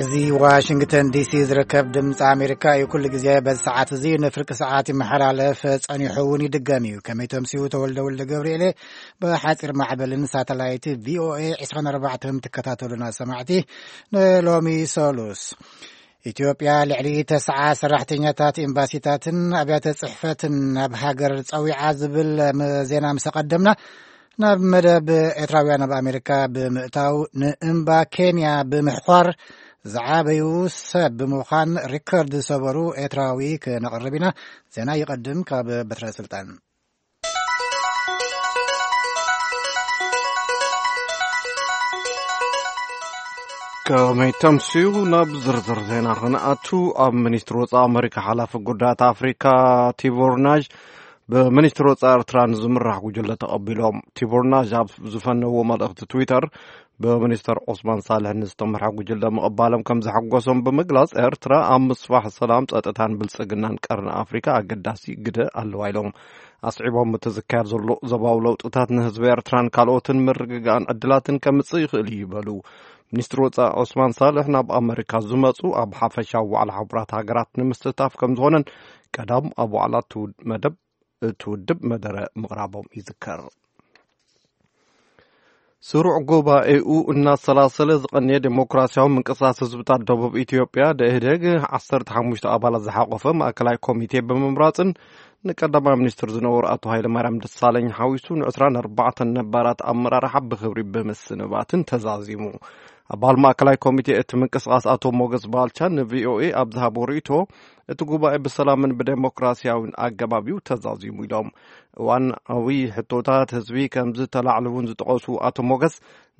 እዚ ዋሽንግተን ዲሲ ዝርከብ ድምፂ ኣሜሪካ እዩ። ኩሉ ግዜ በዚ ሰዓት እዚ ንፍርቂ ሰዓት ይመሓላለፍ፣ ጸኒሑ እውን ይድገም እዩ። ከመይ ተምስዩ? ተወልደ ወልደ ገብርኤል ብሓፂር ማዕበልን ሳተላይት ቪኦኤ ዕስራን ኣርባዕተን ትከታተሉና ሰማዕቲ። ንሎሚ ሰሉስ ኢትዮጵያ ልዕሊ ተስዓ ሰራሕተኛታት ኤምባሲታትን ኣብያተ ጽሕፈትን ናብ ሃገር ጸዊዓ ዝብል ም-፣ ዜና ምስ ኣቐደምና፣ ናብ መደብ ኤርትራውያን ኣብ ኣሜሪካ ብምእታው፣ ንእምባ ኬንያ ብምሕኳር ዝዓበዩ ሰብ ብምዃን ሪከርድ ዝሰበሩ ኤርትራዊ ክነቕርብ ኢና። ዜና ይቐድም ካብ በትረ ስልጣን። ከመይ ተምስዩ? ናብ ዝርዝር ዜና ክንኣቱ፣ ኣብ ሚኒስትሪ ወጻኢ ኣመሪካ ሓላፊ ጉዳያት ኣፍሪካ ቲቦር ናዥ ብሚኒስትሪ ወጻኢ ኤርትራ ንዝምራሕ ጉጅለ ተቐቢሎም። ቲቦር ናዥ ኣብ ዝፈነዎ መልእኽቲ ትዊተር፣ ብሚኒስተር ዑስማን ሳልሕ ንዝተመርሐ ጉጅለ ምቕባሎም ከም ዘሐጎሶም ብምግላጽ፣ ኤርትራ ኣብ ምስፋሕ ሰላም፣ ጸጥታን ብልጽግናን ቀርኒ ኣፍሪካ ኣገዳሲ ግደ ኣለዋ ኢሎም። ኣስዒቦም፣ እቲ ዝካየድ ዘሎ ዞባዊ ለውጥታት ንህዝቢ ኤርትራን ካልኦትን ምርግጋእን ዕድላትን ከምጽእ ይኽእል እዩ ይበሉ። ሚኒስትሪ ወጻኢ ዑስማን ሳልሕ ናብ ኣመሪካ ዝመጹ ኣብ ሓፈሻዊ ዋዕላ ሕቡራት ሃገራት ንምስታፍ ከም ዝኾነን ቀዳም ኣብ ዋዕላ እቲ ውድ-፣ መደብ፣ እቲ ውድብ መደረ ምቕራቦም ይዝከር። ስሩዕ ጉባኤኡ እናሰላሰለ ዝቐነየ ዴሞክራሲያዊ ምንቅስቃስ ህዝብታት ደቡብ ኢትዮጵያ፣ ደኢህዴግ፣ ዓሰርተ ሓሙሽተ ኣባላት ዝሓቆፈ ማእከላይ ኮሚቴ ብምምራጽን ንቀዳማይ ሚኒስትር ዝነበሩ ኣቶ ሃይለማርያም ደሳለኝ ሓዊሱ ንዕስራን ኣርባዕተን ነባራት ኣመራርሓ ብኽብሪ ብምስንባትን ተዛዚሙ። ኣባል ማእከላይ ኮሚቴ እቲ ምንቅስቃስ ኣቶ ሞገስ ባልቻ ንቪኦኤ ኣብ ዝሃቦ ርእይቶ፣ እቲ ጉባኤ ብሰላምን ብዴሞክራሲያዊን ኣገባብ እዩ ተዛዚሙ ኢሎም። እዋናዊ ሕቶታት ህዝቢ ከም ዝተላዕሉ እውን ዝጠቐሱ ኣቶ ሞገስ፣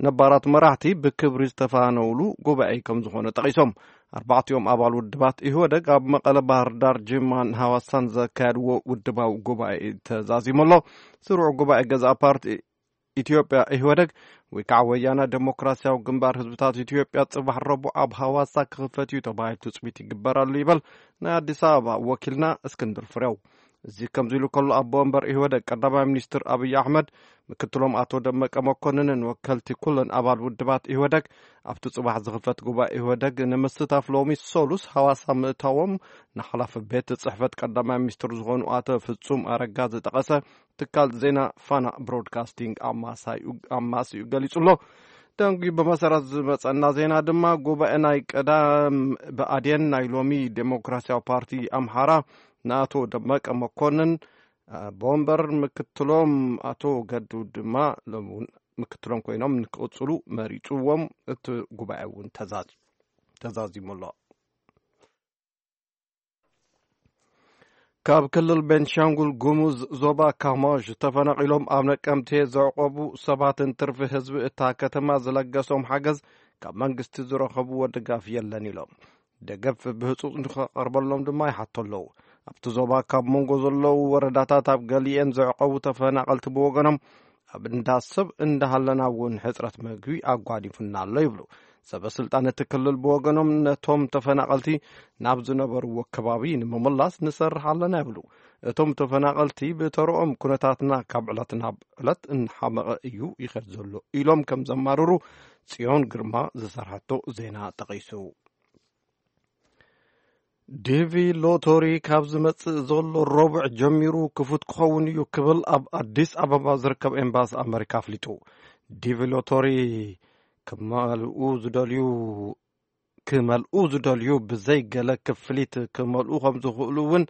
ነባራት መራሕቲ ብክብሪ ዝተፋነውሉ ጉባኤ ከም ዝኾነ ጠቒሶም፣ ኣርባዕቲኦም ኣባል ውድባት ኢህወደግ ኣብ መቐለ፣ ባህር ዳር፣ ጅማን ሃዋሳን ዘካየድዎ ውድባዊ ጉባኤ ተዛዚሙ ኣሎ። ስሩዕ ጉባኤ ገዛእ ፓርቲ ኢትዮጵያ ኢህወደግ ወይ ከዓ ወያነ ዴሞክራሲያዊ ግንባር ህዝብታት ኢትዮጵያ ጽባሕ ረቡዕ ኣብ ሃዋሳ ክኽፈት እዩ ተባሂሉ ትጽቢት ይግበር ኣሎ ይበል ናይ ኣዲስ ኣበባ ወኪልና እስክንድር ፍሬው። እዚ ከምዚ ኢሉ ከሎ፣ ኣቦ ወንበር ኢህወደግ ቀዳማይ ሚኒስትር ኣብይ ኣሕመድ፣ ምክትሎም ኣቶ ደመቀ መኮንንን ወከልቲ ኩለን ኣባል ውድባት ኢህወደግ ኣብቲ ጽባሕ ዝኽፈት ጉባኤ ኢህወደግ ንምስታፍ ሎሚ ሰሉስ ሃዋሳ ምእታዎም ንሓላፊ ቤት ጽሕፈት ቀዳማይ ሚኒስትር ዝኾኑ ኣቶ ፍጹም ኣረጋ ዝጠቐሰ ትካል ዜና ፋና ብሮድካስቲንግ ኣማሳዩ-፣ ኣማስዩ ገሊጹ ኣሎ። ደንጉዩ ብመሰረት ዝመጸና ዜና ድማ፣ ጉባኤ ናይ ቀዳም ብኣዴን ናይ ሎሚ ዴሞክራሲያዊ ፓርቲ ኣምሓራ ንኣቶ ደመቀ መኮንን፣ ኣቦ ወንበር፣ ምክትሎም ኣቶ ገዱ ድማ ሎሚ እውን ምክትሎም ኮይኖም ንክቕጽሉ መሪጽዎም። እቲ ጉባኤ እውን ተዛዝ-፣ ተዛዚሙ ኣሎ። ካብ ክልል ቤንሻንጉል ጉሙዝ ዞባ ካማሽ ተፈናቒሎም ኣብ ነቀምቴ ዘዕቆቡ ሰባትን ትርፊ ህዝቢ እታ ከተማ ዝለገሶም ሓገዝ ካብ መንግስቲ ዝረኸብዎ ድጋፍ የለን ኢሎም። ደገፍ ብህጹጽ ንኸቐርበሎም ድማ ይሓቱ ኣለዉ። ኣብቲ ዞባ ካብ መንጎ ዘለዉ ወረዳታት ኣብ ገሊኤን ዘዕቆቡ ተፈናቐልቲ ብወገኖም፣ ኣብ እንዳ ሰብ እንዳሃለና እውን ሕጽረት መግቢ ኣጓኒፉና ኣሎ ይብሉ። ሰበ ስልጣን እቲ ክልል ብወገኖም፣ ነቶም ተፈናቐልቲ ናብ ዝነበርዎ ከባቢ ንምምላስ ንሰርሕ ኣለና ይብሉ። እቶም ተፈናቐልቲ ብተረኦም፣ ኩነታትና ካብ ዕለት ናብ ዕለት እናሓመቐ እዩ ይኸድ ዘሎ ኢሎም ከም ዘማርሩ ጽዮን ግርማ ዝሰርሐቶ ዜና ጠቒሱ። ዲቪ ሎቶሪ ካብ ዝመጽእ ዘሎ ረቡዕ ጀሚሩ ክፉት ክኸውን እዩ ክብል ኣብ ኣዲስ ኣበባ ዝርከብ ኤምባሲ ኣመሪካ ኣፍሊጡ። ዲቪ ሎቶሪ ክመልኡ ዝደልዩ፣ ክመልኡ ዝደልዩ ብዘይ ገለ ክፍሊት ክመልኡ ከም ዝኽእሉ እውን፣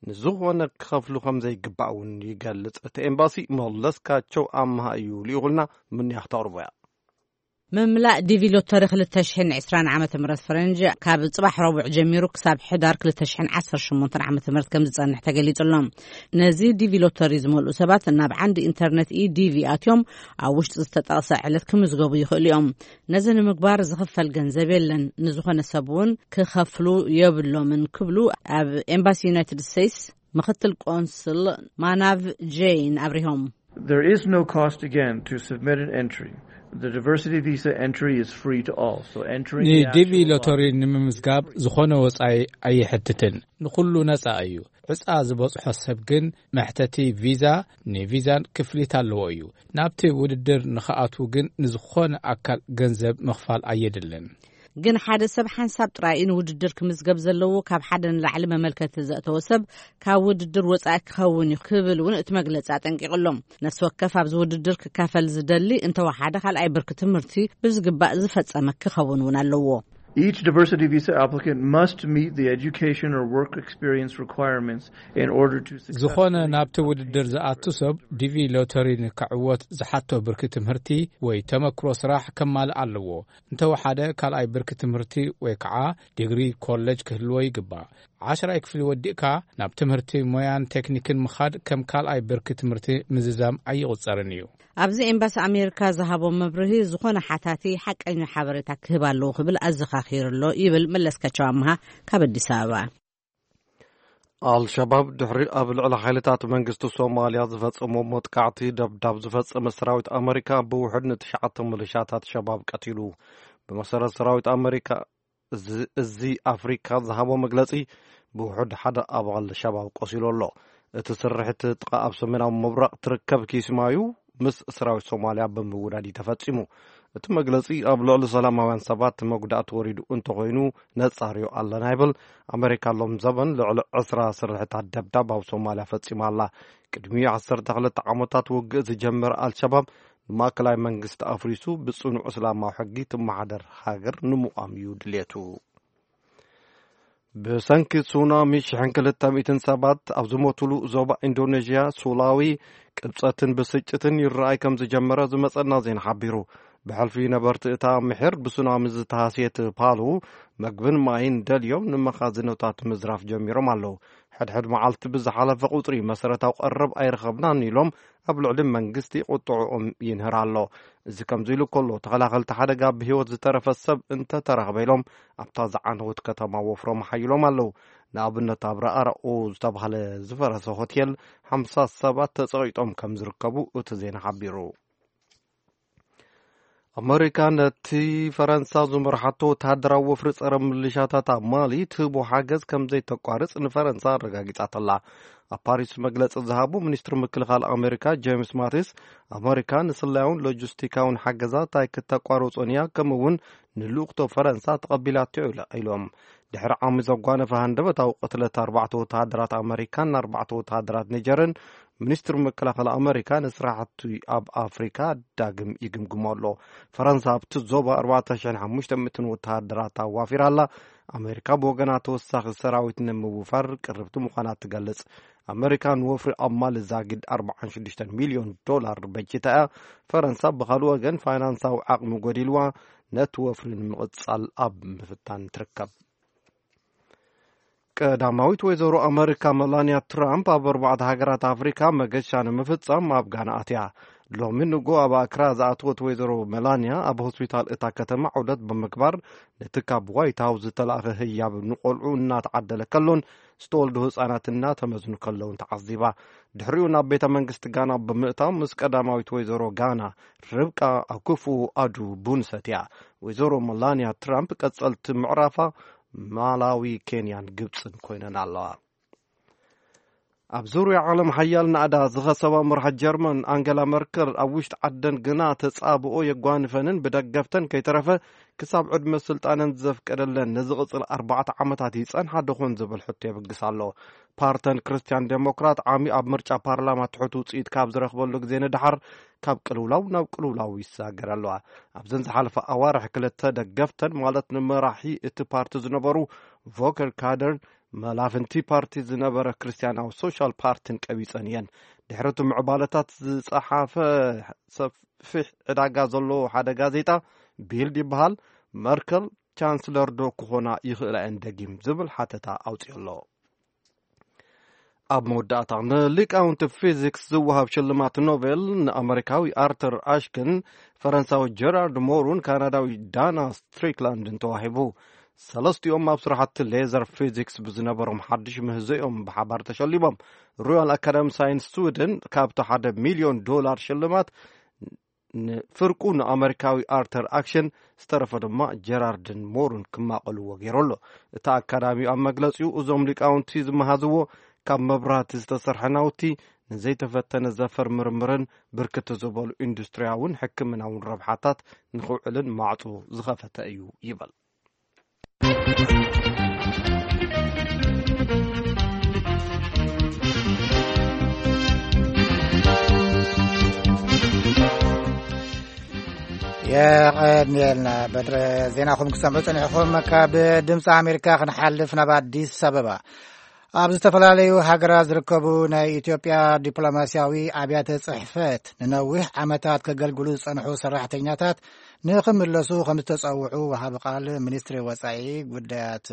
ንዝኾነ ክኸፍሉ ከም ዘይግባእ እውን ይገልጽ። እቲ ኤምባሲ መለስካቸው ኣምሃ እዩ ልኢኹልና፣ ምንያ ክተቕርቦ እያ። ምምላእ ዲቪ ሎተሪ ክልተ ሽሕን ዕስራን ዓመተ ምህረት ፈረንጂ ካብ ጽባሕ ረቡዕ ጀሚሩ ክሳብ ሕዳር ክልተ ሽሕን ዓሰርተ ሸሞንተን ዓመተ ምህረት ከም ዝጸንሕ ተገሊጹ ኣሎ። ነዚ ዲቪ ሎተሪ ዝመልኡ ሰባት ናብ ዓንዲ ኢንተርነት ኢ ዲቪ ኣትዮም ኣብ ውሽጢ ዝተጠቕሰ ዕለት ክምዝገቡ ይኽእሉ እዮም። ነዚ ንምግባር ዝኽፈል ገንዘብ የለን። ንዝኾነ ሰብ እውን ክኸፍሉ የብሎምን ክብሉ ኣብ ኤምባሲ ዩናይትድ ስቴትስ ምኽትል ቆንስል ማናቭ ጄይን ኣብሪሆም። There is no cost again to submit an entry. The diversity visa entry is free to all. So entering the ንዲቪ actual ሎተሪ lottery ንምምዝጋብ ዝኾነ ወጻኢ ኣይሕትትን። ንኹሉ ነጻ እዩ። ዕጻ ዝበጽሖ ሰብ ግን መሕተቲ ቪዛ፣ ንቪዛን ክፍሊት ኣለዎ እዩ። ናብቲ ውድድር ንኽኣትዉ ግን ንዝኾነ ኣካል ገንዘብ ምኽፋል ኣየድልን። ግን ሓደ ሰብ ሓንሳብ ጥራይ እዩ ንውድድር ክምዝገብ ዘለዎ። ካብ ሓደ ንላዕሊ መመልከቲ ዘእተወ ሰብ ካብ ውድድር ወጻኢ ክኸውን እዩ ክብል እውን እቲ መግለጺ ኣጠንቂቑ ኣሎ። ነፍሲ ወከፍ ኣብዚ ውድድር ክካፈል ዝደሊ እንተወሓደ ካልኣይ ብርኪ ትምህርቲ ብዝግባእ ዝፈጸመ ክኸውን እውን ኣለዎ። Each diversity visa applicant must meet the education or work experience requirements in order to ዝኾነ successfully ናብቲ ውድድር ዝኣቱ ሰብ ዲቪ ሎተሪ ንክዕወት ዝሓቶ ብርኪ ትምህርቲ ወይ ተመክሮ ስራሕ ከማልእ ኣለዎ። እንተወሓደ ካልኣይ ብርኪ ትምህርቲ ወይ ከዓ ዲግሪ ኮሌጅ ክህልዎ ይግባእ። ዓሽራይ ክፍሊ ወዲእካ ናብ ትምህርቲ ሞያን ቴክኒክን ምኻድ ከም ካልኣይ ብርኪ ትምህርቲ ምዝዛም ኣይቑጸርን እዩ። ኣብዚ ኤምባሲ ኣሜሪካ ዝሃቦ መብርሂ፣ ዝኾነ ሓታቲ ሓቀኛ ሓበሬታ ክህብ ኣለዎ ክብል ኣዘኻኺሩ ኣሎ ይብል መለስካቸው ኣምሃ ካብ ኣዲስ ኣበባ። ኣልሸባብ ድሕሪ ኣብ ልዕሊ ሓይልታት መንግስቲ ሶማልያ ዝፈጸሞ መጥቃዕቲ ደብዳብ ዝፈጸመ ሰራዊት ኣመሪካ ብውሕድ ንትሽዓተ ምልሻታት ሸባብ ቀቲሉ። ብመሰረት ሰራዊት ኣመሪካ እዚ፣ እዚ ኣፍሪካ ዝሃቦ መግለጺ ብውሕድ ሓደ ኣባል ሸባብ ቆሲሉ ኣሎ። እቲ ስርሒት ጥቓ ኣብ ሰሜናዊ ምብራቕ ትርከብ ኪስማዩ ምስ ሰራዊት ሶማልያ ብምውዳድ እዩ ተፈጺሙ። እቲ መግለጺ ኣብ ልዕሊ ሰላማውያን ሰባት መጉዳእቲ ወሪዱ እንተኾይኑ ነጻርዮ ኣለና ይብል። ኣመሪካ ሎም ዘበን ልዕሊ ዕስራ ስርሕታት ደብዳብ ኣብ ሶማልያ ፈጺማ ኣላ። ቅድሚ ዓሰርተ ክልተ ዓመታት ውግእ ዝጀመረ ኣልሸባብ ንማእከላይ መንግስቲ ኣፍሪሱ ብጽኑዕ እስላማዊ ሕጊ ትመሓደር ሃገር ንምቋም እዩ ድልየቱ። ብሰንኪ ሱናሚ ሽሕን ክልተ ሚእትን ሰባት ኣብ ዝሞቱሉ ዞባ ኢንዶኔዥያ ሱላዊ ቅብጸትን ብስጭትን ይረኣይ ከም ዝጀመረ ዝመጸና ዜና ሓቢሩ። ብሕልፊ ነበርቲ እታ ምሒር ብሱናሚ ዝተሃስየት ፓሉ መግብን ማይን ደልዮም ንመኻዝኖታት ምዝራፍ ጀሚሮም ኣለዉ። ሕድሕድ መዓልቲ ብዝሓለፈ ቁጽሪ መሰረታዊ ቀረብ ኣይረኸብናን ኢሎም ኣብ ልዕሊ መንግስቲ ቁጥዕኦም ይንህር ኣሎ። እዚ ከምዚ ኢሉ ከሎ ተኸላኸልቲ ሓደጋ ብህይወት ዝተረፈ ሰብ እንተተረኽበ ኢሎም ኣብታ ዝዓነወት ከተማ ወፍሮም ሓይሎም ኣለዉ። ንኣብነት ኣብ ረኣራኡ ዝተባህለ ዝፈረሰ ሆቴል ሓምሳ ሰባት ተጸቒጦም ከም ዝርከቡ እቲ ዜና ሓቢሩ። ኣመሪካ ነቲ ፈረንሳ ዝመርሓቶ ወተሃደራዊ ወፍሪ ጸረ ምልሻታት ኣብ ማሊ ትህቦ ሓገዝ ከም ዘይተቋርጽ ንፈረንሳ ኣረጋጊጻትላ። ኣብ ፓሪስ መግለጺ ዝሃቡ ሚኒስትሪ ምክልኻል ኣመሪካ ጄምስ ማቲስ፣ ኣመሪካ ንስላያውን ሎጂስቲካውን ሓገዛት ኣይክተቋርጾን እያ፣ ከምኡ እውን ንልኡኽቶ ፈረንሳ ተቐቢላቶ ኢሎም። ድሕሪ ዓሚ ዘጓነፈ ሃንደበታዊ ቅትለት ኣርባዕተ ወተሃደራት ኣመሪካን ኣርባዕተ ወተሃደራት ኒጀርን፣ ሚኒስትሪ ምክልኻል ኣመሪካ ንስራሕቲ ኣብ ኣፍሪካ ዳግም ይግምግሞ ኣሎ። ፈረንሳ ኣብቲ ዞባ ኣርባዕተ ሽሕን ሓሙሽተ ሚእትን ወተሃደራት ኣዋፊራ ኣላ። ኣመሪካ ብወገና ተወሳኺ ሰራዊት ንምውፋር ቅርብቲ ምዃና ትገልጽ። ኣመሪካ ንወፍሪ ኣብ ማሊ ዛጊድ ኣርባዓን ሽዱሽተን ሚልዮን ዶላር በጅታ እያ። ፈረንሳ ብኻልእ ወገን ፋይናንሳዊ ዓቕሚ ጎዲልዋ ነቲ ወፍሪ ንምቕጻል ኣብ ምፍታን ትርከብ። ቀዳማዊት ወይዘሮ ኣመሪካ መላንያ ትራምፕ ኣብ ኣርባዕተ ሃገራት ኣፍሪካ መገሻ ንምፍጻም ኣብ ጋና ኣትያ። ሎሚ ንጎ ኣብ ኣክራ ዝኣተወት ወይዘሮ መላንያ ኣብ ሆስፒታል እታ ከተማ ዑደት ብምግባር ነቲ ካብ ዋይት ሃውስ ዝተላእኸ ህያብ ንቆልዑ እናተዓደለ ከሎን ዝተወልዱ ህጻናት እናተመዝኑ ከለውን ተዓዚባ። ድሕሪኡ ናብ ቤተ መንግስቲ ጋና ብምእታው ምስ ቀዳማዊት ወይዘሮ ጋና ርብቃ ኣኩፉ ኣዱ ቡን ሰትያ። ወይዘሮ መላንያ ትራምፕ ቀጸልቲ ምዕራፋ ማላዊ፣ ኬንያን ግብጽን ኮይነን ኣለዋ። ኣብ ዙርያ ዓለም ሓያል ናእዳ ዝኸሰባ መራሒ ጀርመን ኣንገላ መርከል ኣብ ውሽጢ ዓደን ግና ተጻብኦ የጓንፈንን ብደገፍተን ከይተረፈ ክሳብ ዕድመ ስልጣነን ዘፍቀደለን ንዝቕጽል ኣርባዕተ ዓመታት ይጸንሓ ደኾን ዝብል ሕቶ የብግስ ኣሎ። ፓርተን ክርስትያን ዴሞክራት ዓሚ ኣብ ምርጫ ፓርላማ ትሑት ውጽኢት ካብ ዝረኽበሉ ግዜ ንደሓር ካብ ቅልውላው ናብ ቅልውላው ይሳገር ኣለዋ። ኣብዘን ዝሓለፈ ኣዋርሕ ክልተ ደገፍተን ማለት ንመራሒ እቲ ፓርቲ ዝነበሩ ቮከር ካደርን መላፍንቲ ፓርቲ ዝነበረ ክርስትያናዊ ሶሻል ፓርቲን ቀቢጸን እየን። ድሕሪ እቲ ምዕባለታት ዝጸሓፈ ሰፊሕ ዕዳጋ ዘለዎ ሓደ ጋዜጣ ቢልድ ይበሃል፣ መርከል ቻንስለር ዶ ክኾና ይኽእላ እየን ደጊም ዝብል ሓተታ ኣውጺኡ ኣሎ። ኣብ መወዳእታ ንሊቃውንቲ ፊዚክስ ዝወሃብ ሽልማት ኖቤል ንኣመሪካዊ ኣርተር ኣሽክን ፈረንሳዊ ጀራርድ ሞሩን ካናዳዊ ዳና ስትሪክላንድን ተዋሂቡ። ሰለስቲኦም ኣብ ስራሕቲ ሌዘር ፊዚክስ ብዝነበሮም ሓድሽ ምህዞኦም ብሓባር ተሸሊሞም። ሮያል ኣካዳሚ ሳይንስ ስዊድን ካብቲ ሓደ ሚልዮን ዶላር ሽልማት ንፍርቁ ንኣመሪካዊ ኣርተር ኣክሽን ዝተረፈ ድማ ጀራርድን ሞሩን ክማቐልዎ ገይሩ ኣሎ። እቲ ኣካዳሚ ኣብ መግለጺኡ እዞም ሊቃውንቲ ዝመሃዝዎ ካብ መብራህቲ ዝተሰርሐ ናውቲ ንዘይተፈተነ ዘፈር ምርምርን ብርክት ዝበሉ ኢንዱስትሪያውን ሕክምናውን ረብሓታት ንኽውዕልን ማዕጾ ዝኸፈተ እዩ ይበል። የቐንየልና። በትረ ዜናኹም ክሰምዑ ጸኒሕኹም። ካብ ድምፂ ኣሜሪካ ክንሓልፍ ናብ ኣዲስ ኣበባ። ኣብ ዝተፈላለዩ ሃገራት ዝርከቡ ናይ ኢትዮጵያ ዲፕሎማሲያዊ ኣብያተ ጽሕፈት ንነዊሕ ዓመታት ከገልግሉ ዝጸንሑ ሰራሕተኛታት ንኽምለሱ ከም ዝተጸውዑ ወሃቢ ቃል ሚኒስትሪ ወጻኢ ጉዳያት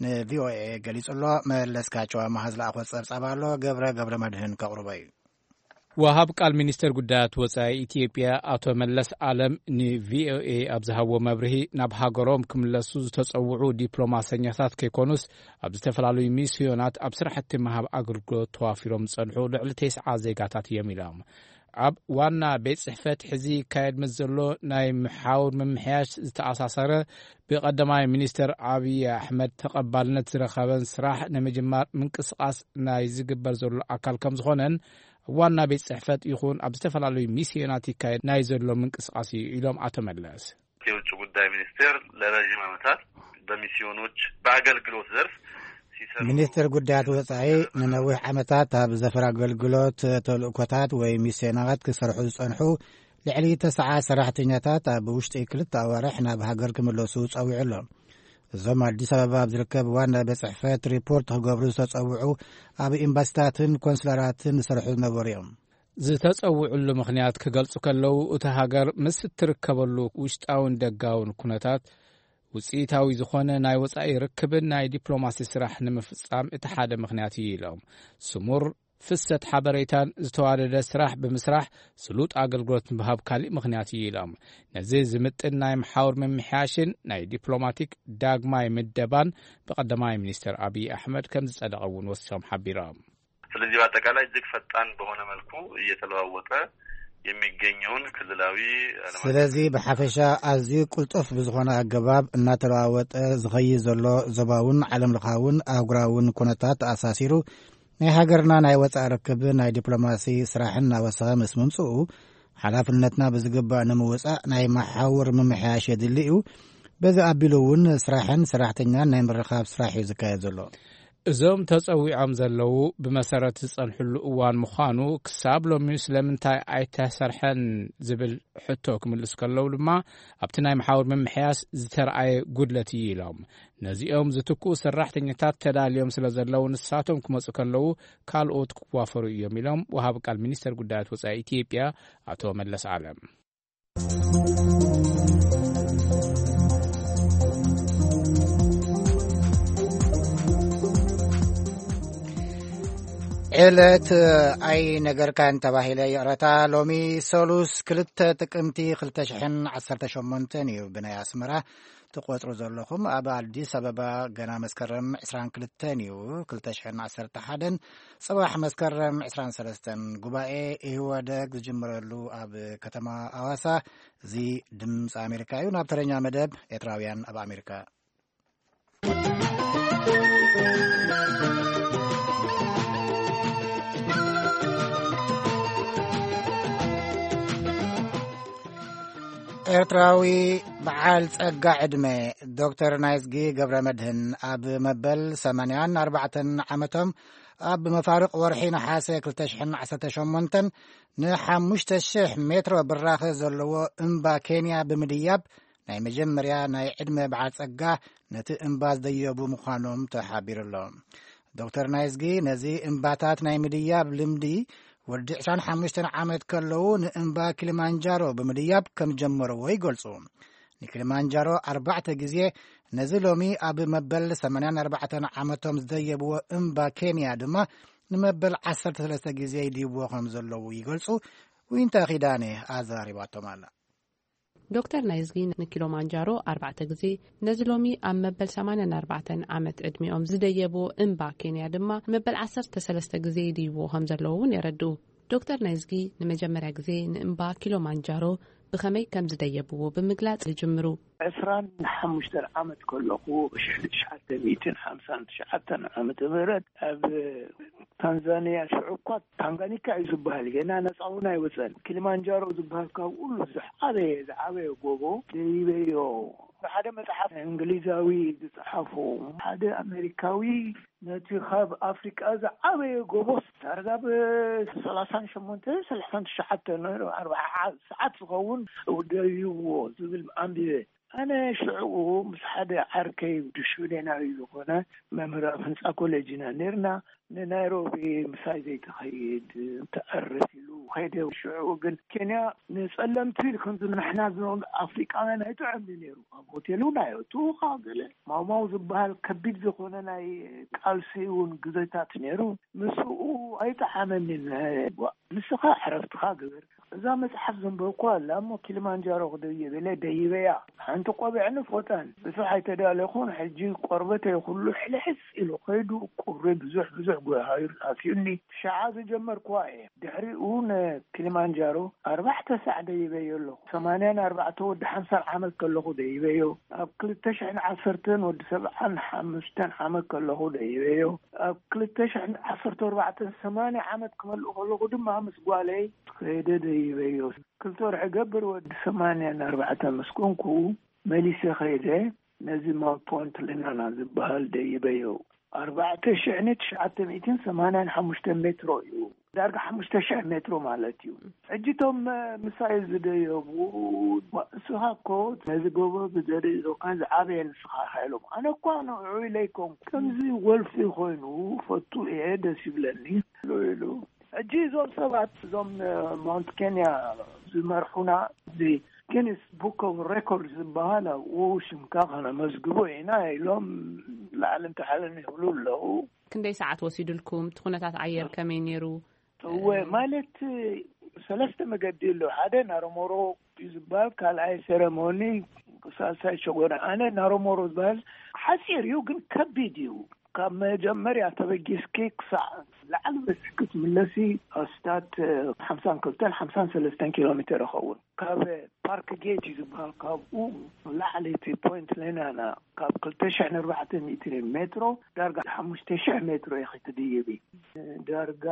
ንቪኦኤ ገሊጹ ኣሎ። መለስካቸው ኣማሃ ዝለኣኾ ጸብጻብ ኣሎ። ገብረ ገብረ መድህን ከቕርቦ እዩ። ወሃብ ቃል ሚኒስተር ጉዳያት ወጻኢ ኢትዮጵያ ኣቶ መለስ ኣለም ንቪኦኤ ኣብ ዝሃብዎ መብርሂ፣ ናብ ሃገሮም ክምለሱ ዝተጸውዑ ዲፕሎማሰኛታት ከይኮኑስ፣ ኣብ ዝተፈላለዩ ሚስዮናት ኣብ ስራሕቲ ምሃብ ኣገልግሎት ተዋፊሮም ዝጸንሑ ልዕሊ ተስዓ ዜጋታት እዮም ኢሎም። ኣብ ዋና ቤት ጽሕፈት ሕዚ ይካየድ ምስ ዘሎ ናይ ምሓውር ምምሕያሽ ዝተኣሳሰረ፣ ብቀዳማይ ሚኒስተር ኣብይ ኣሕመድ ተቐባልነት ዝረኸበን ስራሕ ንምጅማር ምንቅስቃስ ናይ ዝግበር ዘሎ ኣካል ከም ዝኾነን፣ ዋና ቤት ጽሕፈት ይኹን ኣብ ዝተፈላለዩ ሚስዮናት ይካየድ ናይ ዘሎ ምንቅስቃስ እዩ ኢሎም ኣቶ መለስ። የውጭ ጉዳይ ሚኒስቴር ለረዥም ዓመታት በሚስዮኖች በአገልግሎት ዘርፍ ሲሰሩ ሚኒስትር ጉዳያት ወጻኢ ንነዊሕ ዓመታት ኣብ ዘፈር ኣገልግሎት ተልእኮታት ወይ ሚስዮናት ክሰርሑ ዝጸንሑ ልዕሊ ተስዓ ሰራሕተኛታት ኣብ ውሽጢ ክልተ ኣዋርሕ ናብ ሃገር ክምለሱ ጸዊዑ ኣሎ። እዞም ኣዲስ ኣበባ ኣብ ዝርከብ ዋና ቤት ጽሕፈት ሪፖርት ክገብሩ ዝተጸውዑ ኣብ ኤምባሲታትን ኮንስላራትን ዝሰርሑ ዝነበሩ እዮም። ዝተጸውዕሉ ምኽንያት ክገልጹ ከለዉ፣ እታ ሃገር ምስ እትርከበሉ ውሽጣውን ደጋውን ኩነታት ውጽኢታዊ ዝኾነ ናይ ወጻኢ ርክብን ናይ ዲፕሎማሲ ስራሕ ንምፍጻም እቲ ሓደ ምኽንያት እዩ ኢሎም። ስሙር ፍሰት ሓበሬታን ዝተዋደደ ስራሕ ብምስራሕ ስሉጥ ኣገልግሎት ምሃብ ካሊእ ምኽንያት እዩ ኢሎም። ነዚ ዝምጥን ናይ መሓውር ምምሕያሽን ናይ ዲፕሎማቲክ ዳግማይ ምደባን ብቀዳማይ ሚኒስትር ኣብይ ኣሕመድ ከም ዝጸደቐ እውን ወሲኾም ሓቢሮም። ስለዚህ በአጠቃላይ እጅግ ፈጣን በሆነ መልኩ እየተለዋወጠ የሚገኘውን ክልላዊ ዓለም አቀፍ ስለዚህ ብሓፈሻ ኣዝዩ ቅልጡፍ ብዝኾነ ኣገባብ እናተለዋወጠ ዝኸይድ ዘሎ ዞባውን ዓለም ለኻውን ኣህጉራውን ኩነታት ተኣሳሲሩ ናይ ሃገርና ናይ ወጻኢ ርክብ ናይ ዲፕሎማሲ ስራሕን እናወሰኸ ምስ ምምጽኡ ሓላፍነትና ብዝግባእ ንምውጻእ ናይ መሓውር ምምሕያሽ የድሊ እዩ። በዚ ኣቢሉ እውን ስራሕን ሰራሕተኛን ናይ ምርኻብ ስራሕ እዩ ዝካየድ ዘሎ። እዞም ተጸዊዖም ዘለዉ ብመሰረት ዝጸንሕሉ እዋን ምዃኑ ክሳብ ሎሚ ስለምንታይ ኣይተሰርሐን ዝብል ሕቶ ክምልሱ ከለዉ ድማ ኣብቲ ናይ መሓውር ምምሕያስ ዝተረኣየ ጉድለት እዩ ኢሎም። ነዚኦም ዝትክኡ ሰራሕተኛታት ተዳልዮም ስለ ዘለዉ ንሳቶም ክመጹ ከለዉ ካልኦት ክዋፈሩ እዮም ኢሎም ወሃቢ ቃል ሚኒስተር ጉዳያት ወጻኢ ኢትዮጵያ ኣቶ መለስ ኣለም። ዕለት ኣይነገርካን ተባሂለ ይቕረታ። ሎሚ ሰሉስ ክልተ ጥቅምቲ ክልተ ሽሕን ዓሰርተ ሸሞንተን እዩ ብናይ ኣስመራ ትቆጽሩ ዘለኹም። ኣብ ኣዲስ ኣበባ ገና መስከረም ዕስራን ክልተን እዩ፣ ክልተ ሽሕን ዓሰርተ ሓደን። ጽባሕ መስከረም ዕስራን ሰለስተን ጉባኤ ኢህወደግ ዝጅምረሉ ኣብ ከተማ ኣዋሳ። እዚ ድምፂ ኣሜሪካ እዩ። ናብ ተረኛ መደብ ኤርትራውያን ኣብ ኣሜሪካ። ኤርትራዊ በዓል ጸጋ ዕድመ ዶክተር ናይዝጊ ገብረ መድህን ኣብ መበል ሰማንያን ኣርባዕተን ዓመቶም ኣብ መፋርቕ ወርሒ ነሓሰ ክልተ ሽሕን ዓሰርተ ሸሞንተን ንሓሙሽተ ሽሕ ሜትሮ ብራኸ ዘለዎ እምባ ኬንያ ብምድያብ ናይ መጀመርያ ናይ ዕድመ በዓል ጸጋ ነቲ እምባ ዝደየቡ ምዃኖም ተሓቢሩ ኣሎ። ዶክተር ናይዝጊ ነዚ እምባታት ናይ ምድያብ ልምዲ ወዲ ዕስራን ሓሙሽተን ዓመት ከለዉ ንእምባ ኪሊማንጃሮ ብምድያብ ከም ጀመርዎ ይገልጹ። ንኪሊማንጃሮ ኣርባዕተ ግዜ፣ ነዚ ሎሚ ኣብ መበል ሰማንያን ኣርባዕተን ዓመቶም ዝደየብዎ እምባ ኬንያ ድማ ንመበል ዓሰርተ ሰለስተ ግዜ ይድይብዎ ከም ዘለዉ ይገልጹ። ዊንታ ኪዳነ ኣዘራሪባቶም ኣላ። ዶክተር ናይዝጊ ንኪሎማንጃሮ ኣርባዕተ ግዜ፣ ነዚ ሎሚ ኣብ መበል ሰማንያን ኣርባዕተን ዓመት ዕድሚኦም ዝደየብዎ እምባ ኬንያ ድማ ንመበል ዓሰርተ ሰለስተ ግዜ ይድይብዎ ከም ዘለዉ እውን የረድኡ። ዶክተር ናይዝጊ ንመጀመርያ ግዜ ንእምባ ኪሎማንጃሮ ብኸመይ ከም ዝደየብዎ ብምግላጽ ይጅምሩ። ዕስራን ሓሙሽተን ዓመት ከለኹ፣ ሽሕን ትሽዓተ ሚእትን ሓምሳን ትሽዓተን ዓመተ ምህረት፣ ኣብ ታንዛንያ፣ ሽዑ እኳ ታንጋኒካ እዩ ዝበሃል፣ ገና ነጻ እውን ኣይወጸን። ኪሊማንጃሮ ዝበሃል ካብ ኩሉ ዝዓበየ፣ ዝዓበየ ጎቦ ደይበዮ ሓደ መጽሓፍ እንግሊዛዊ ዝጸሓፎ፣ ሓደ ኣሜሪካዊ፣ ነቲ ካብ ኣፍሪቃ ዝዓበየ ጎቦስ ዳርጋ ብ ሰላሳን ሸሞንተ ሰላሳን ትሽዓተ ነይሩ፣ ኣርባዓ ሰዓት ዝኸውን ደይብዎ ዝብል ኣንቢበ። ኣነ ሽዕኡ ምስ ሓደ ዓርከይ፣ ሽወደናዊ ዝኾነ መምህር ኣብ ህንጻ ኮሌጅ ኢና ነርና፣ ንናይሮቢ ምሳይ ዘይትኸይድ፣ ተዕርፍ ኢሉ ኸይደ። ሽዕኡ ግን ኬንያ ንጸለምቲ፣ ከምዚ ንሕና ዝኖም ኣፍሪቃውያን ኣይጥዕምን ነይሩ። ኣብ ሆቴል እውን ኣይእትውኻ፣ ገለ ማውማው ዝበሃል ከቢድ ዝኾነ ናይ ቃልሲ እውን ግዜታት ነይሩ። ምስኡ ኣይጠዓመንን። ዋ፣ ንስኻ ዕረፍትኻ ግበር። እዛ መጽሓፍ ዘንበብኩዋ ኣላ እሞ፣ ኪሊማንጃሮ ክደይብ ኢለ ደይበያ። ሓንቲ ቆቢዕን ፎጣን ብዙሕ ኣይተዳለኹን። ሕጂ ቆርበተይ ኩሉ ሕልሕስ ኢሉ ኸይዱ፣ ቁሪ ብዙሕ ብዙሕ ጎሃይር ኣትዩኒ። ሸዓ ዝጀመርኩዋ እየ። ድሕሪኡ ንኪሊማንጃሮ ኣርባዕተ ሳዕ ደይበዮ ኣለኹ። ሰማንያን ኣርባዕተ ወዲ ሓምሳን ዓመት ከለኹ ደይበዮ። ኣብ ክልተ ሽሕን ዓሰርተን ወዲ ሰብዓን ሓሙሽተን ዓመት ከለኹ ደይበዮ። ኣብ ክልተ ሽሕን ዓሰርተ ኣርባዕተን ሰማንያ ዓመት ክመልእ ከለኹ ድማ ምስ ጓለይ ከይደ ደይበዮ። ክልተ ወርሒ ገብር ወዲ ሰማንያን ኣርባዕተን ምስ ኮንኩ መሊሰ ከይደ ነዚ ማውንት ፖንት ሌናና ዝበሃል ደይበዮ። ኣርባዕተ ሽሕን ትሽዓተ ሚእትን ሰማንያን ሓሙሽተን ሜትሮ እዩ። ዳርጋ ሓሙሽተ ሽሕ ሜትሮ ማለት እዩ። ሕጂ እቶም፣ እ፣ ምሳይ ዝደየቡ፣ "ዋ፣ እስኻ እኮ ነዚ ጎቦ ብዘርኢ ዞካ ዝዓበየ ንስኻ ኢኻ" ኢሎም። ኣነ እኳ ንዕኡ ኢለ ኣይኮንኩ። ከምዚ ወልፊ ኮይኑ ፈቱ እየ፣ ደስ ይብለኒ ኢሉ ኢሉ። ሕጂ እዞም ሰባት፣ እዞም፣ እ፣ ማውንት ኬንያ ዝመርሑና፣ እዚ ጊኒስ ቡክ ኦፍ ሬኮርድ ዝበሃል፣ ኣብኡ ሽምካ ከነመዝግቦ ኢና ኢሎም ላዕልን ታሕልን ይብሉ ኣለዉ። ክንደይ ሰዓት ወሲዱልኩም? እቲ ኩነታት ኣየር ከመይ ነይሩ? እወ፣ ማለት ሰለስተ መገዲ ኣሎ። ሓደ ናሮሞሮ እዩ ዝበሃል፣ ካልኣይ ሴረሞኒ፣ ሳልሳይ ሸጎና። ኣነ ናሮሞሮ ዝበሃል ሓፂር እዩ፣ ግን ከቢድ እዩ። ካብ መጀመርያ ተበጊስኪ ክሳዕ ላዕሊ በፂሕኪ ትምለሲ ኣስታት ሓምሳን ክልተን ሓምሳን ሰለስተን ኪሎ ሜትር ይኸውን። ካብ ፓርክ ጌት እዩ ዝበሃል፣ ካብኡ ላዕሊ እቲ ፖይንት ሌናና ካብ ክልተ ሽሕን ኣርባዕተ ሚእትን ሜትሮ ዳርጋ ሓሙሽተ ሽሕ ሜትሮ ኢኺ ትድይቢ። ዳርጋ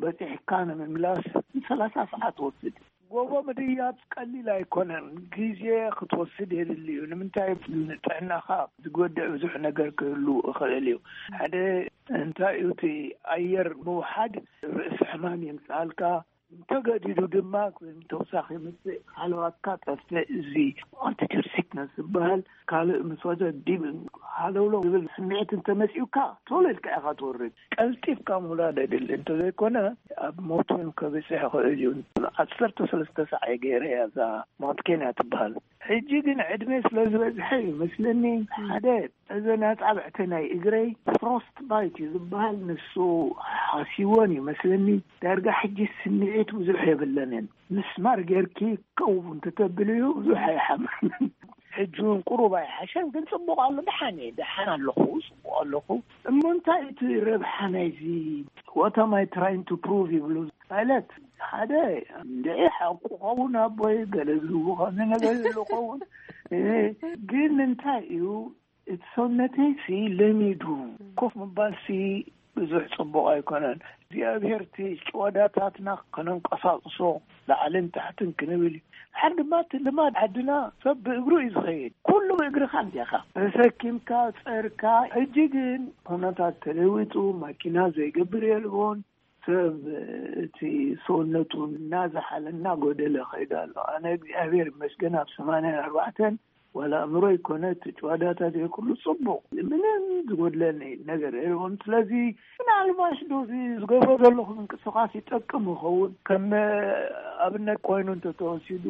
በፂሕካ ንምምላስ ሰላሳ ሰዓት ወስድ። ጎቦ ምድያብ ቀሊል ኣይኮነን፣ ግዜ ክትወስድ የድሊ እዩ። ንምንታይ? ንጥዕናኻ ዝጎድእ ብዙሕ ነገር ክህሉ ይኽእል እዩ። ሓደ እንታይ እዩ፣ እቲ ኣየር ምውሓድ ርእሲ ሕማም የምፅኣልካ፣ እንተገዲዱ ድማ ተውሳኺ የምፅእ፣ ሃለዋትካ ጠፍእ። እዚ ኣልቲቱድ ሲክነስ ዝበሃል፣ ካልእ ምስ ወደ ዲብ ሃለውለው ዝብል ስምዒት እንተመፂኡካ፣ ቶሎ ኢልካ ኢኻ ትወርድ። ቀልጢፍካ ምውራድ የድሊ፣ እንተዘይኮነ ኣብ ሞት እውን ከብፅሕ ይኽእል እዩ። ዓሰርተ ሰለስተ ሳዕ እየ ገይረ እያ እዛ ማውንት ኬንያ ትበሃል። ሕጂ ግን ዕድመ ስለ ዝበዝሐ እዩ መስለኒ፣ ሓደ እዘን ኣጻብዕቲ ናይ እግረይ ፍሮስት ባይት እዩ ዝበሃል፣ ንሱ ሓሲወን እዩ መስለኒ። ዳርጋ ሕጂ ስምዒት ብዙሕ የብለንን። ምስማር ጌርኪ ከው እንተተብልዩ ብዙሕ ኣይሓምምን። ሕጂ እውን ቁሩብ ኣይሓሸን፣ ግን ጽቡቕ ኣሎ። ደሓን እየ፣ ደሓን ኣለኹ፣ ጽቡቕ ኣለኹ። እሞ እንታይ እቲ ረብሓ ናይዚ? What am I trying to prove ይብሉ ማለት፣ ሓደ እንድዒ ሓቁ ኸውን፣ ኣቦይ ገለ ዝህቡ ኸነ ነገር ይብሉ ኸውን። እ፣ ግን እንታይ እዩ፣ እቲ ሰውነተይሲ ለሚዱ። ኮፍ ምባልሲ ብዙሕ ጽቡቕ ኣይኮነን። እግዚኣብሔር እቲ ጭዋዳታትና ከነንቀሳቕሶ፣ ላዕልን ታሕትን ክንብል እዩ። ድሓር ድማ እቲ ልማድ ዓድና ሰብ ብእግሩ እዩ ዝኸይድ። ኩሉ ብእግርኻ እንዲኻ ተሰኪምካ፣ ጸርካ። ሕጂ ግን ኩነታት ተለዊጡ፣ ማኪና ዘይገብር የልቦን። ሰብ እቲ ሰውነቱ እናዝሓለ እናጎደለ ኸይዱ ኣሎ። ኣነ እግዚኣብሔር ይመስገን ኣብ ሰማንያን ኣርባዕተን ዋላ ኣእምሮ ይኮነ እቲ ጭዋዳታት ይሄ ኩሉ ጽቡቕ፣ ምንም ዝጎድለኒ ነገር የልቦን። ስለዚ ምናልባሽ ዶ እዚ ዝገብሮ ዘለኹ ምንቅስቓስ ይጠቅም ይኸውን? ከም ኣብነት ኮይኑ እንተተወሲዱ፣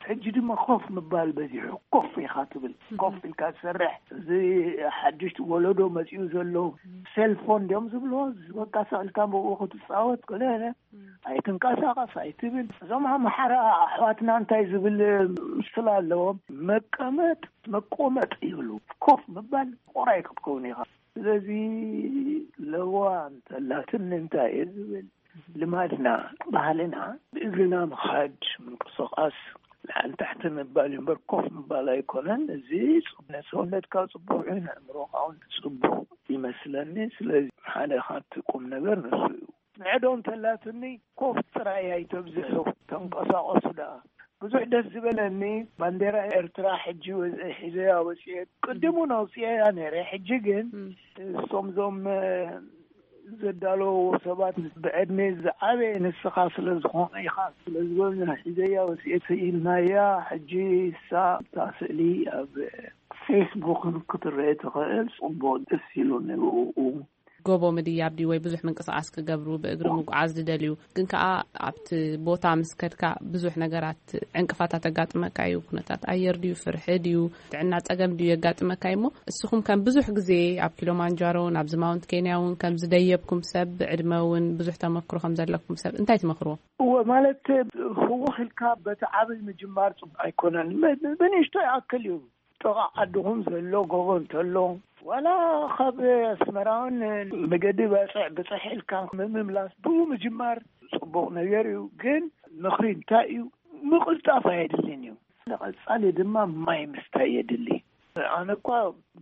ሕጂ ድማ ኮፍ ምባል በዚሑ። ኮፍ ኢኻ ትብል፣ ኮፍ ኢልካ ትሰርሕ። እዚ ሓድሽ ወለዶ መጺኡ ዘሎ ሴልፎን ድዮም ዝብልዎ፣ በቃ ሰቕ ኢልካ ብኡ ክትጻወት፣ ገለ ኣይትንቀሳቐስ ኣይትብል። እዞም ኣምሓራ ኣሕዋትና እንታይ ዝብል ምስላ ኣለዎም? መቀመጥ መቆመጥ ይብሉ። ኮፍ ምባል ቆራይ ክትከውን ኢኻ። ስለዚ ለዋ እንተላትኒ እንታይ እየ ዝብል፣ ልማድና፣ ባህልና፣ ብእግርና ምኻድ፣ ምንቅስቓስ፣ ላዕሊ ታሕቲ ምባል እዩ እምበር ኮፍ ምባል ኣይኮነን። እዚ ንሰውነትካ ጽቡቕ እዩ፣ ንኣእምሮኻ እውን ጽቡቕ ይመስለኒ። ስለዚ ሓደ ካብቲ ቁም ነገር ንሱ እዩ። ንዕዶ እንተላትኒ ኮፍ ጥራይ ኣይተብዝሑ፣ ተንቀሳቐሱ ደኣ። ብዙሕ ደስ ዝበለኒ፣ ባንዴራ ኤርትራ ሕጂ ወ- ሒዘያ ወፅኤ። ቅድም እውን ኣውፅኤያ ነይረ። ሕጂ ግን እሶም ዞም ዘዳለዎ ሰባት፣ ብዕድሜ ዝዓበየ ንስኻ ስለ ዝኾነ ኢኻ ስለ ዝበሉና፣ ሒዘያ ወፅኤ ኢልናያ። ሕጂ እሳ እታ ስእሊ ኣብ ፌስቡክን ክትረአ ትኽእል። ፅቡቅ፣ ደስ ኢሉኒ ብኡ። ጎቦ ምድያብ ድዩ ወይ ብዙሕ ምንቅስቃስ ክገብሩ፣ ብእግሪ ምጉዓዝ ዝደልዩ ግን ከኣ ኣብቲ ቦታ ምስ ከድካ ብዙሕ ነገራት ዕንቅፋታት ኣጋጥመካ እዩ። ኩነታት ኣየር ድዩ፣ ፍርሒ ድዩ፣ ጥዕና ጸገም ድዩ የጋጥመካ እዩ። እሞ እስኹም ከም ብዙሕ ግዜ ኣብ ኪሎማንጃሮ፣ ናብዚ ማውንት ኬንያ እውን ከም ዝደየብኩም ሰብ፣ ብዕድመ እውን ብዙሕ ተመክሮ ከም ዘለኩም ሰብ እንታይ ትመኽርዎ? እወ፣ ማለት ህውኽ ኢልካ በቲ ዓብይ ምጅማር ጽቡቅ ኣይኮነን። ብ- ብንእሽቶ ይኣክል እዩ። ጥቓ ዓድኹም ዘሎ ጎቦ እንተሎ፣ ዋላ ካብ ኣስመራውን መገዲ ባጽዕ ብጽሕ ኢልካ ምምላስ ብኡ ምጅማር ጽቡቕ ነገር እዩ። ግን ምኽሪ እንታይ እዩ? ምቕልጣፍ ኣየድልን እዩ። ንቐጻሊ ድማ ማይ ምስታይ የድሊ። ኣነ እኳ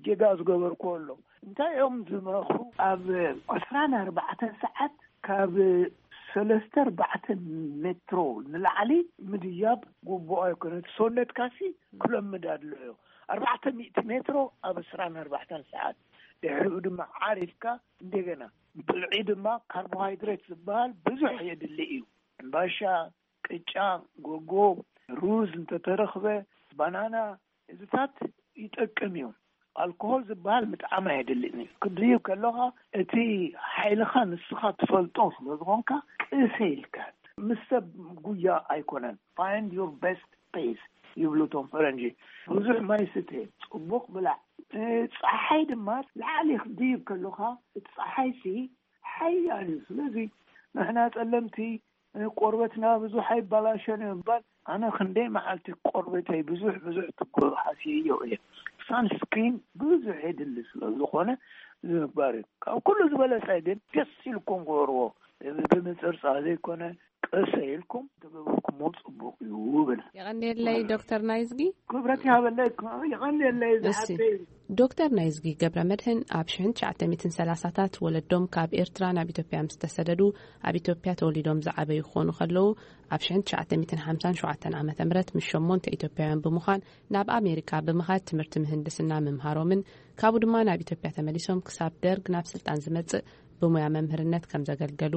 ጌጋ ዝገበርኩ ኣሎ። እንታይ እዮም ዝመኽሩ? ኣብ ዕስራን ኣርባዕተን ሰዓት ካብ ሰለስተ ኣርባዕተ ሜትሮ ንላዕሊ ምድያብ ግቡእ ኣይኮነ። ሰውነትካሲ ክለምድ ኣድልዮ። ኣርባዕተ ሚእቲ ሜትሮ ኣብ ዕስራን ኣርባዕተን ሰዓት። ድሕሪኡ ድማ ዓሪፍካ እንደገና ብልዒ ድማ ካርቦሃይድሬት ዝበሃል ብዙሕ የድሊ እዩ። እምባሻ፣ ቅጫ፣ ጎጎ፣ ሩዝ እንተተረኽበ፣ ባናና፣ እዚታት ይጠቅም እዩ። ኣልኮሆል ዝበሃል ምጥዓም ኣየድልን እዩ። ክትድይብ ከለኻ እቲ ሓይልኻ ንስኻ ትፈልጦ ስለ ዝኾንካ፣ ቅሰ ኢልካ፣ ምስ ሰብ ጉያ ኣይኮነን። Find your best pace ይብሉ እቶም ፈረንጂ። ብዙሕ ማይ ስተ፣ ጽቡቕ ብላዕ። እ፣ ጸሓይ ድማ ላዕሊ ክትድይብ ከለኻ፣ እቲ ጸሓይሲ ሓያል እዩ። ስለዚ ንሕና ጸለምቲ ቆርበትና ብዙሕ ኣይባላሸን እዩ እምበር፣ ኣነ ክንደይ መዓልቲ ቆርበተይ ብዙሕ ብዙሕ ትጎ-፣ ሃስየዮ እየ። ሳንስክሪን ብዙሕ የድሊ ስለ ዝኾነ ምግባር እዩ። ካብ ኩሉ ዝበለጸ ግን ደስ ኢልኩም ግበርዎ። ብምጽርጻር ዘይኮነ፣ ቀሰ ኢልኩም ተገበርኩሞ ጽቡቕ እዩ እብል። የቐንየለይ ዶክተር ናይዝጊ። ክብረት ይሃበለይ። የቐንየለይ እሺ። ዝሓተይ። ዶክተር ናይዝጊ ገብረ መድህን ኣብ ሽሕን ትሽዓተ ሚእትን ሰላሳታት ወለዶም ካብ ኤርትራ ናብ ኢትዮጵያ ምስ ተሰደዱ፣ ኣብ ኢትዮጵያ ተወሊዶም ዝዓበዩ ክኾኑ ከለዉ፣ ኣብ ሽሕን ትሽዓተ ሚእትን ሓምሳን ሸውዓተን ዓመተ ምህረት ምስ ሸሞንተ ኢትዮጵያውያን ብምዃን ናብ ኣሜሪካ ብምኻድ ትምህርቲ ምህንድስና ምምሃሮምን፣ ካብኡ ድማ ናብ ኢትዮጵያ ተመሊሶም ክሳብ ደርግ ናብ ስልጣን ዝመጽእ ብሞያ መምህርነት ከም ዘገልገሉ፣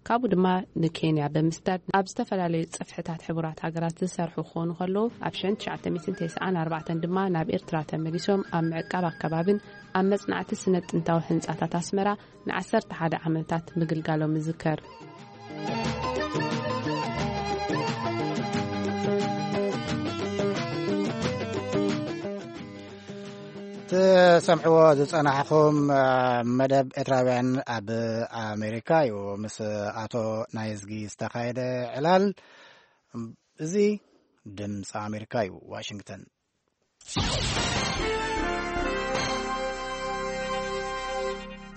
ካብኡ ድማ ንኬንያ ብምስዳድ ኣብ ዝተፈላለዩ ጽፍሕታት ሕቡራት ሃገራት ዝሰርሑ ክኾኑ ከለዉ፣ ኣብ ሽሕን ትሽዓተ ሚእትን ተስዓን ኣርባዕተን ድማ ናብ ኤርትራ ተመሊሶም ኣብ ምዕቃብ ኣከባብን ኣብ መጽናዕቲ ስነ ጥንታዊ ህንጻታት ኣስመራ ንዓሰርተ ሓደ ዓመታት ምግልጋሎም ይዝከር። ትሰምዕዎ ዝጸናሕኹም፣ እ፣ መደብ ኤርትራውያን ኣብ ኣሜሪካ እዩ። ምስ ኣቶ ናይዝጊ ዝተኻየደ ዕላል። እዚ ድምፂ ኣሜሪካ እዩ፣ ዋሽንግተን።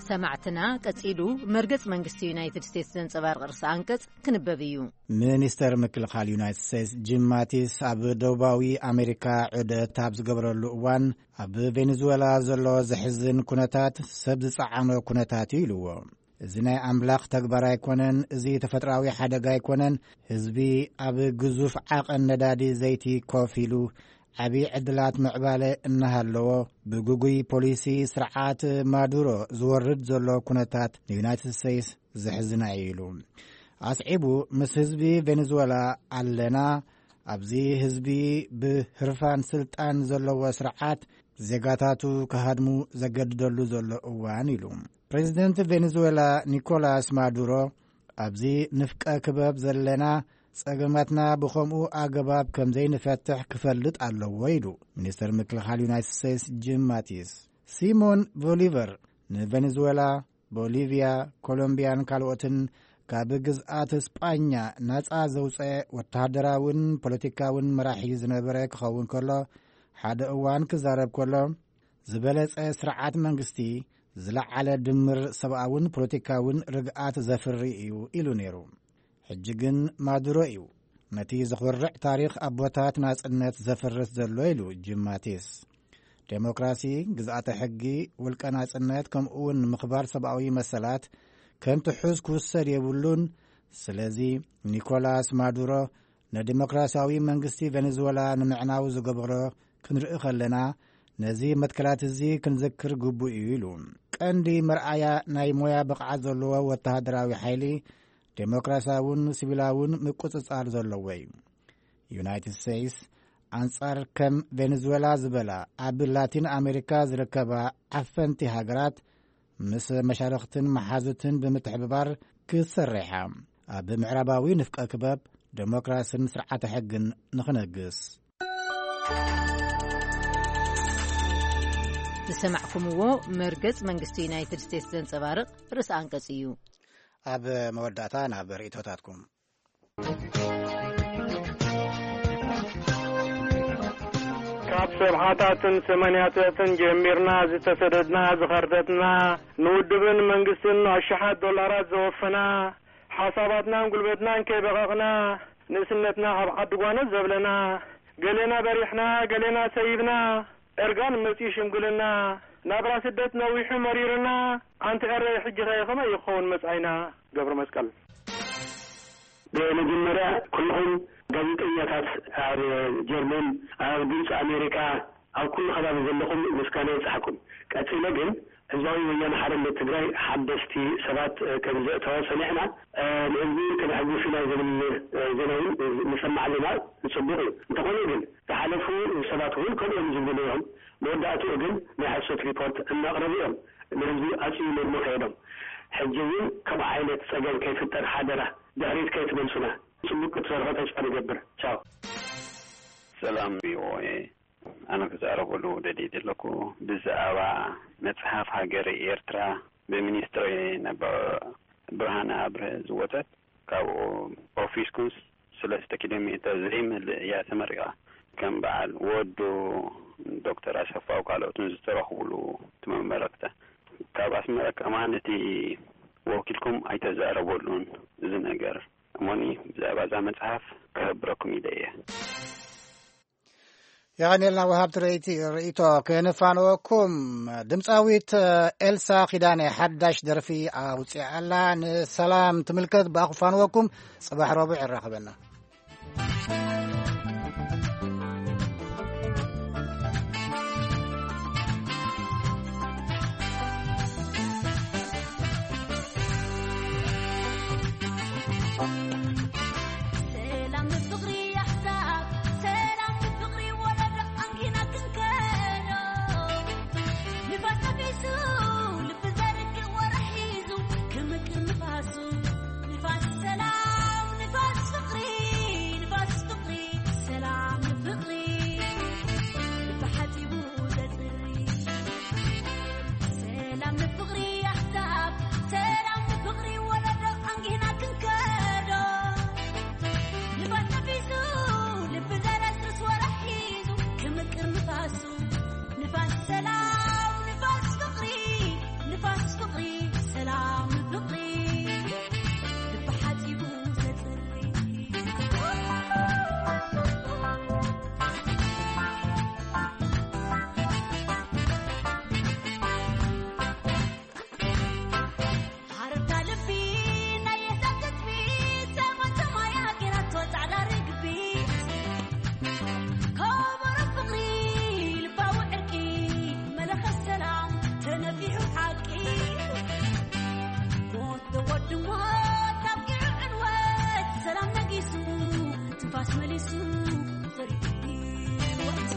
ሰማዕትና፣ ቀጺሉ መርገጽ መንግስቲ ዩናይትድ ስቴትስ ዘንጸባርቕ ርእሰ ኣንቀጽ ክንበብ እዩ። ሚኒስተር ምክልኻል ዩናይትድ ስቴትስ ጂም ማቲስ ኣብ ደቡባዊ ኣሜሪካ ዑደት ኣብ ዝገበረሉ እዋን፣ ኣብ ቬኔዙዌላ ዘሎ ዘሕዝን ኩነታት ሰብ ዝጸዓኖ ኩነታት እዩ ኢልዎ። እዚ ናይ ኣምላኽ ተግባር ኣይኮነን፣ እዚ ተፈጥሮኣዊ ሓደጋ ኣይኮነን። ህዝቢ ኣብ ግዙፍ ዓቐን ነዳዲ ዘይቲ ኮፍ ኢሉ ዓቢ ዕድላት ምዕባለ እናሃለዎ፣ ብግጉይ ፖሊሲ ስርዓት ማዱሮ ዝወርድ ዘሎ ኩነታት ንዩናይትድ ስቴትስ ዘሕዝና እዩ ኢሉ። ኣስዒቡ፣ ምስ ህዝቢ ቬኔዙዌላ ኣለና፣ ኣብዚ ህዝቢ ብህርፋን ስልጣን ዘለዎ ስርዓት ዜጋታቱ ክሃድሙ ዘገድደሉ ዘሎ እዋን ኢሉ። ፕሬዚደንት ቬኔዙዌላ ኒኮላስ ማዱሮ፣ ኣብዚ ንፍቀ ክበብ ዘለና ጸገማትና ብኸምኡ ኣገባብ ከም ዘይንፈትሕ ክፈልጥ ኣለዎ ኢሉ ሚኒስተር ምክልኻል ዩናይትድ ስቴትስ ጂም ማቲስ። ሲሞን ቦሊቨር ንቬኔዙዌላ፣ ቦሊቪያ፣ ኮሎምቢያን ካልኦትን ካብ ግዝኣት ስጳኛ ናጻ ዘውጸ ወተሃደራውን ፖለቲካውን መራሒ ዝነበረ ክኸውን ከሎ፣ ሓደ እዋን ክዛረብ ከሎ፣ ዝበለጸ ስርዓት መንግስቲ ዝለዓለ ድምር ሰብኣውን ፖለቲካውን ርግኣት ዘፍሪ እዩ ኢሉ ነይሩ። ሕጂ ግን ማዱሮ እዩ ነቲ ዘኹርዕ ታሪኽ ኣቦታት ናጽነት ዘፍርስ ዘሎ ኢሉ ጂም ማቲስ። ዴሞክራሲ፣ ግዝኣተ ሕጊ፣ ውልቀ ናጽነት፣ ከምኡ እውን ምኽባር ሰብኣዊ መሰላት ከም ትሑዝ ክውሰድ የብሉን። ስለዚ ኒኮላስ ማዱሮ ንዲሞክራሲያዊ መንግስቲ ቬኔዙዌላ ንምዕናው ዝገበሮ ክንርኢ ከለና፣ ነዚ መትከላት እዚ ክንዝክር ግቡእ እዩ ኢሉ። ቀንዲ መርኣያ ናይ ሞያ ብቕዓት ዘለዎ ወተሃደራዊ ሓይሊ፣ ዴሞክራሲያውን ሲቪላውን ምቁጽጻር ዘለዎ እዩ። ዩናይትድ ስቴትስ ኣንጻር ከም ቬኔዙዌላ ዝበላ ኣብ ላቲን ኣሜሪካ ዝርከባ ዓፈንቲ ሃገራት ምስ መሻርኽትን መሓዙትን ብምትሕብባር ክትሰርሕ እያ። ኣብ ምዕራባዊ ንፍቀ ክበብ ዴሞክራስን ስርዓተ ሕግን ንኽነግስ። ዝሰማዕኩምዎ መርገጽ መንግስቲ ዩናይትድ ስቴትስ ዘንጸባርቕ ርእሰ ኣንቀጽ እዩ። ኣብ መወዳእታ ናብ ርእይቶታትኩም። ካብ ሰብዓታትን ሰማንያታትን ጀሚርና ዝተሰደድና፣ ዝኸርተትና፣ ንውድብን መንግስትን ኣሽሓት ዶላራት ዘወፈና፣ ሓሳባትናን ጉልበትናን ከይበቐቕና፣ ንእስነትና ኣብ ዓዲ ጓኖት ዘብለና፣ ገሌና በሪሕና፣ ገሌና ሰይብና፣ እርጋን መጺኡ ሽምግልና፣ ናብራ ስደት ነዊሑ መሪርና፣ ኣንቲ ኤረይ ሕጂ ኸ ከመይ ይኸውን መጻኢና? ገብረ መስቀል። ብመጀመርያ ኩልኹም ጋዜጠኛታት ኣብ ጀርመን፣ ኣብ ግብፂ፣ ኣሜሪካ፣ ኣብ ኩሉ ከባቢ ዘለኹም ምስጋና ይብፃሕኩም። ቀፂለ ግን ህዝባዊ ወያነ ሓርነት ትግራይ ሓደስቲ ሰባት፣ እ፣ ከም ዘእተወ ሰሚዕና፣ እ፣ ንህዝቢ ከነሐጉስ ኢና ዝብል፣ እ፣ ዜና እውን ንሰምዕ ኣለና። ፅቡቕ እዩ። እንተኾነ ግን ዝሓለፉ ሰባት እውን ከምኡ እዮም ዝብሉ ነይሮም። መወዳእትኡ ግን ናይ ሓሶት ሪፖርት እናቕረቡ እዮም ንህዝቢ ኣፅሊሎም ከይዶም። ሕጂ እውን ከምኡ ዓይነት ፀገም ከይፍጠር ሓደራ ድሕሪት ከይትመልሱና። ፅቡቅ ክትሰርሑ ተስፋ ንገብር። ቻው። ሰላም ቪኦኤ፣ ኣነ ክዛረበሉ ደልየ ዘለኩ ብዛዕባ መጽሓፍ ሃገረ ኤርትራ ብሚኒስትሪ ነበር ብርሃነ ኣብርሀ ዝወጸት፣ ካብኡ ኦፊስኩም ሰለስተ ኪሎ ሜተር ዘይመልእ እያ ተመሪቓ። ከም በዓል ወዱ ዶክተር ኣሰፋው ካልኦትን ዝተረኽቡሉ እቲ መመረቅታ። ካብ ኣስመራ ከማን እቲ ወኪልኩም ኣይተዛረበሉን እዚ ነገር። እሞኒ ብዛዕባ እዛ መጽሓፍ ክህብረኩም ኢለ እየ። የቐንየልና ወሃብቲ ርእይቲ፣ ርእይቶ ከነፋንወኩም። ድምፃዊት ኤልሳ ኪዳነ ሓዳሽ ደርፊ ኣውፅኣ ኣላ። ንሰላም ትምልከት ብኣኹፋንወኩም። ጽባሕ ረቡዕ የራኽበና። ሰላም ንፍቕሪ ኣሕዛብ፣ ሰላም ንፍቕሪ ወለዶ ኣንጊና ክንከዶ። ንፋስ ነፊሱ፣ ልቢ ዘርግእ ወረ ሒዙ፣ ክምቅር ንፋሱ። ንፋስ ሰላም፣ ንፋስ ፍቕሪ፣ ንፋስ ፍቕሪ፣ ሰላም ንፍቕሪ። ልቢ ሓጺቡ ዘጽሪ። ሰላም ንፍቕሪ ኣሕዛብ፣ ሰላም ንፍቕሪ ወለዶ ኣንጊህና ክንከዶ። ንፋስ ነፊሱ፣ ልቢ ዘረስርስ ወረ ሒዙ፣ ክምቅር ንፋሱ። ንፋስ ሰላም፣ ንፋስ ፍቕሪ፣ ንፋስ ፍቕሪ፣ ሰላም ፍቕሪ። ልቢ ሓጺቡ ዘጽሪ። ሃረርታ ልቢ ናይ የሕሳስ ትጽቢት፣ ሰማይ ሰማያ ገይራቶ ጻዕዳ ርግቢት። ከበሮ ፍቕሪ ልባዊ ዕርቂ፣ መለኸት ሰላም ተነፊሑ ሓቂ። ሞት ተወዲ ሞት ኣብቂዑ ዕንወት፣ ሰላም ነጊሱ ትንፋስ መሊሱ ዘርኢ ህይወት።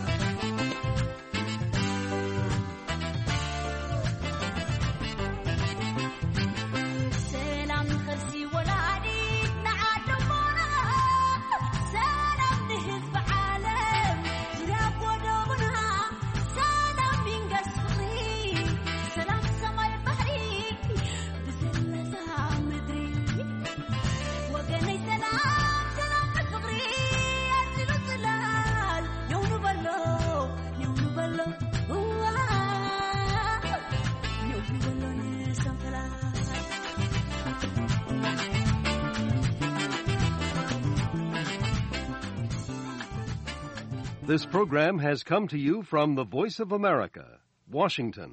ሰላም ንኸልሲ ወላዲት ንዓዶሞና፣ ሰላም ንህዝቢ ዓለም ዙርያ ጎደቦና፣ ሰላም ይንገስ ፍቕሪ፣ ሰላም ሰማይ ባሕሪ፣ ብዘለዛ ምድሪ። ወገነይ ሰላም፣ ሰላም ንፍቕሪ፣ ኣዚሉ ጽላል፣ ኔው ንበሎ፣ ኔው ንበሎ፣ እዋ፣ ኔው ንበሎ ንሰንፈላል። This program has come to you from the Voice of America, Washington.